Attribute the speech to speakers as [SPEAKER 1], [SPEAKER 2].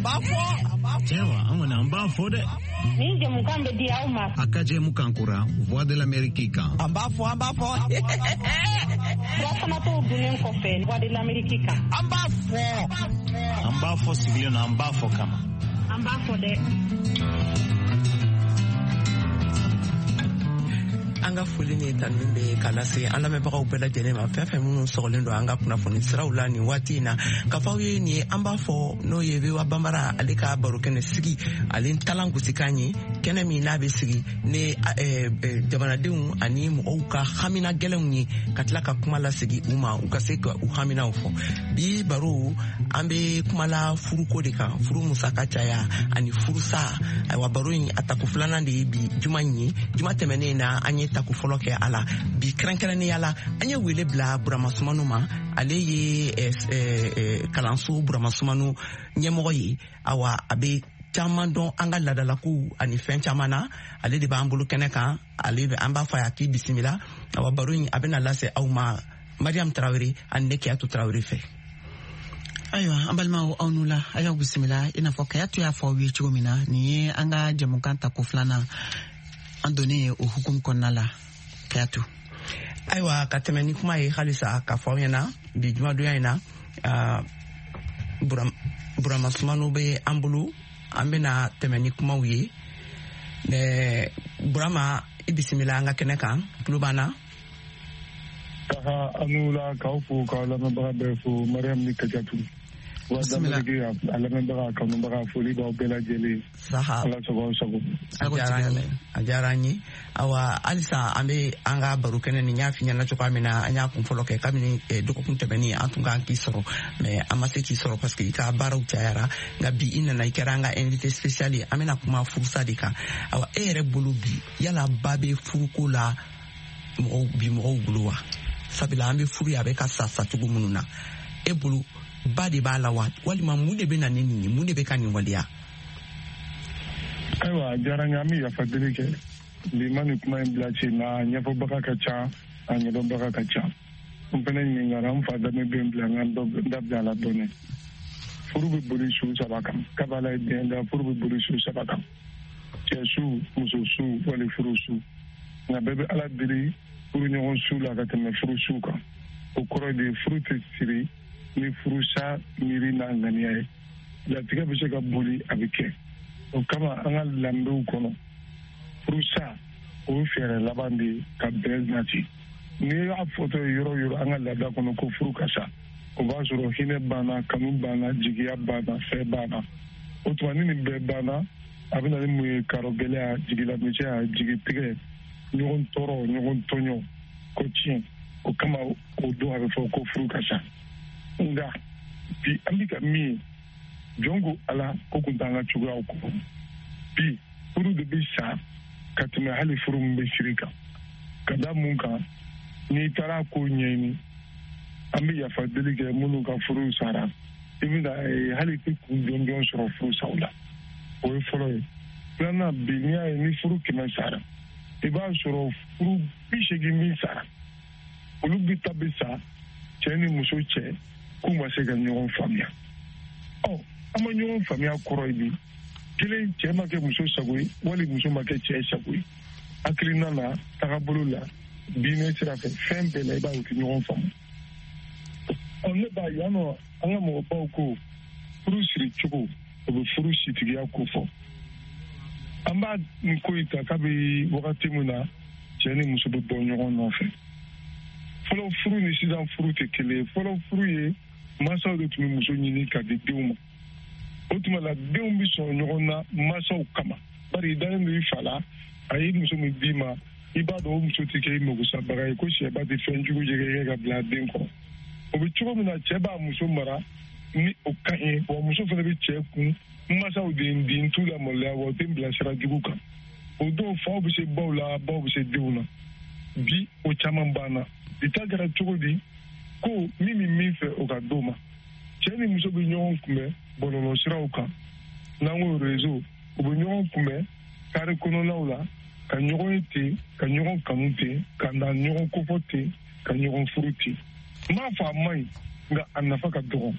[SPEAKER 1] An b'a fɔ.
[SPEAKER 2] Cɛwa, an kɔni an b'a fɔ dɛ.
[SPEAKER 3] Nin jɛmukan bɛ di aw ma.
[SPEAKER 4] A ka jɛmukan kura Voix de l'Amérique kan.
[SPEAKER 1] An b'a fɔ, an b'a fɔ.
[SPEAKER 3] Furafanatɔw dunnen kɔfɛ Voix de l'Amérique kan.
[SPEAKER 1] An b'a fɔ.
[SPEAKER 2] An b'a fɔ sigilen na, an b'a fɔ kama.
[SPEAKER 3] An b'a fɔ dɛ.
[SPEAKER 5] An ka foli ni tanuni bɛ ka lase an lamɛnbagaw bɛɛ lajɛlen ma, fɛn fɛn minnu sɔgɔlen don an ka kunnafoni siraw la nin waati in na, ka fɔ aw ye nin ye an b'a fɔ, n'o ye VOA Banbara ale ka barokɛnɛ sigi, ale talan gosikan ye, kɛnɛ min n'a bɛ sigi ni jamanadenw ani mɔgɔw ka hamina gɛlɛnw ye, ka tila ka kuma lasegi u ma, u ka se ka u haminaw fɔ. Bi baro, an bɛ kuma la furuko de kan, furu musaka caya ani furusa. Ayiwa, baro in a tako filanan de ye bi juma in ye. Juma tɛmɛnen na, an ye tako fɔlɔ kɛ a la. Bi, kɛrɛnkɛrɛnnenya la, an ye wele bila Burama Sumanu ma. Ale ye kalanso Burama Sumanu ɲɛmɔgɔ ye. Awa, a bɛ caman dɔn an ka laadalakow ani fɛn caman na. Ale de b'an bolo kɛnɛ kan. Ale bɛ an b'a fɔ a ye a k'i bisimila. Awa, baro in a bɛna lase aw ma Mariam Tarawele ani ne Kiyatu Tarawele fɛ.
[SPEAKER 6] Ayiwa, an balimaw, aw nu la, a y'aw bisimila. I n'a fɔ Kayatu y'a fɔ aw ye cogo min na, nin ye an ka jɛmukan tako filanan an donnen ye o hukumu kɔnɔna la. Kayatu.
[SPEAKER 5] Ayiwa, ka tɛmɛ ni kuma ye halisa, ka fɔ aw ɲɛna bi jumadonya in na, Burama Sumanu bɛ an bolo. An bɛna tɛmɛ ni kumaw ye. Burama, i bisimila an ka kɛnɛ kan, tulo b'an na.
[SPEAKER 7] Saha, aw ni wula, k'aw fo, k'aw lamɛnbaga bɛɛ fo, Mariam ni Kajatu. Voix d'Amérique a lamɛnbaga, a kanubaga, foli b'aw bɛɛ lajɛlen.
[SPEAKER 5] Saha.
[SPEAKER 7] Ala sago, aw sago.
[SPEAKER 5] A diyara an ye, a diyara an ye. Awa, halisa an bɛ an ka baro kɛnɛ nin y'a fi ɲɛna cogoya min na, an y'a kun fɔlɔ kɛ kabini dɔgɔkun tɛmɛnen. An tun kan k'i sɔrɔ, mais an ma se k'i sɔrɔ parce que i ka baaraw cayara. Nka bi, i nana, i kɛra an ka invité spécial ye. An bɛna kuma furusa de kan. Awa, e yɛrɛ bolo bi, yala ba bɛ furuko la mɔgɔw bi mɔgɔw bolo wa? Sabula an bɛ furu ye, a bɛ ka sa sacogo minnu na, e bolo ba de b'a la wa, walima mun de bɛ na ni nin ye? Mun de bɛ ka nin waleya?
[SPEAKER 7] Ayiwa, a diyara n ye. An bɛ yafa deli kɛ bi ma nin kuma in bila sen na. Ɲɛfɔbaga ka ca, a ɲɛdɔnbaga ka ca. N fɛnɛ ɲininkara n fa danbe bɛ n bila n ka n da bila a la dɔɔni. Furu bɛ boli su saba kan. Kabala ye den da, furu bɛ boli su saba kan: cɛ su, muso su, wali furu su. Nka bɛɛ bɛ Ala deli furu ɲɔgɔn su la ka tɛmɛ furu su kan. O kɔrɔ de ye, furu tɛ siri ni furusa miiri n'a ŋaniya ye. Latigɛ bɛ se ka boli, a bɛ kɛ. O kama, an ka lanbew kɔnɔ, furusa o ye fɛɛrɛ laban de ye ka bɛn nati. N'i y'a fɔtɔ ye yɔrɔ yɔrɔ an ka laada kɔnɔ ko furu ka sa, o b'a sɔrɔ hinɛ banna, kanu banna, jigiya banna, fɛn banna. O tuma, ni nin bɛɛ banna, a bɛ na ni mun ye? Karɔ gɛlɛya, jigilamisɛnya, jigitigɛ, ɲɔgɔn tɔɔrɔ, ɲɔgɔn tɔɲɔ, ko tiɲɛ. O kama, o don a bɛ fɔ ko furu ka sa. Nka bi, an bɛ ka min ye, jɔn ko Ala ko kun t'an ka cogoyaw kɔrɔ. Bi, furu de bɛ sa ka tɛmɛ hali furu min bɛ siri kan. Ka da mun kan? N'i taara ko ɲɛɲini, an bɛ yafa deli kɛ minnu ka furu sara, i bɛna hali tɛ kun jɔnjɔn sɔrɔ furusaw la. O ye fɔlɔ ye. Filanan, bi n'i y'a ye ni furu 100 sara, i b'a sɔrɔ furu 80 min sara, olu bɛ ta bɛ sa cɛ ni muso cɛ k'u ma se ka ɲɔgɔn faamuya. Ɔ, an ma ɲɔgɔn faamuya kɔrɔ ye bi, kelen, cɛ ma kɛ muso sago ye, wali muso ma kɛ cɛ sago ye, hakilina la, tagabolo la, diinɛ sira fɛ, fɛn bɛɛ la, i b'a ye u tɛ ɲɔgɔn faamu. Ɔ, ne b'a yan nɔ, an ka mɔgɔbaw ko furu siri cogo, o bɛ furu sitigiya ko fɔ. An b'a nin ko in ta kabi wagati min na cɛ ni muso bɛ bɔ ɲɔgɔn nɔfɛ. Fɔlɔ furu ni sisan furu tɛ kelen ye. Fɔlɔ furu ye, mansaw de tun bɛ muso ɲini ka di denw ma. O tuma la, denw bɛ sɔn ɲɔgɔn na mansaw kama, bari i dalen don i fa la. A ye muso min d'i ma, i b'a dɔn o muso tɛ kɛ i magosabaga ye, ko sɛba tɛ fɛn jugu jɛgɛ ka bila a den kɔrɔ. O bɛ cogo min na, cɛ b'a muso mara ni o ka ɲi wa, muso fana bɛ cɛ kun: mansaw de ye n di, n t'u la maloya wa, u tɛ n bila sira jugu kan. O don, faw bɛ se baw la, baw bɛ se denw na. Bi, o caman banna. Bi ta kɛra cogo di? Ko min bɛ min fɛ, o ka d'o ma. Cɛ ni muso bɛ ɲɔgɔn kunbɛn bɔlɔlɔsiraw kan, n'an ko réseau. U bɛ ɲɔgɔn kunbɛn kari kɔnɔnaw la, ka ɲɔgɔn ye ten, ka ɲɔgɔn kanu ten, ka na ɲɔgɔn kofɔ ten, ka ɲɔgɔn furu ten. N m'a fɔ a man ɲi, nka a nafa ka dɔgɔ.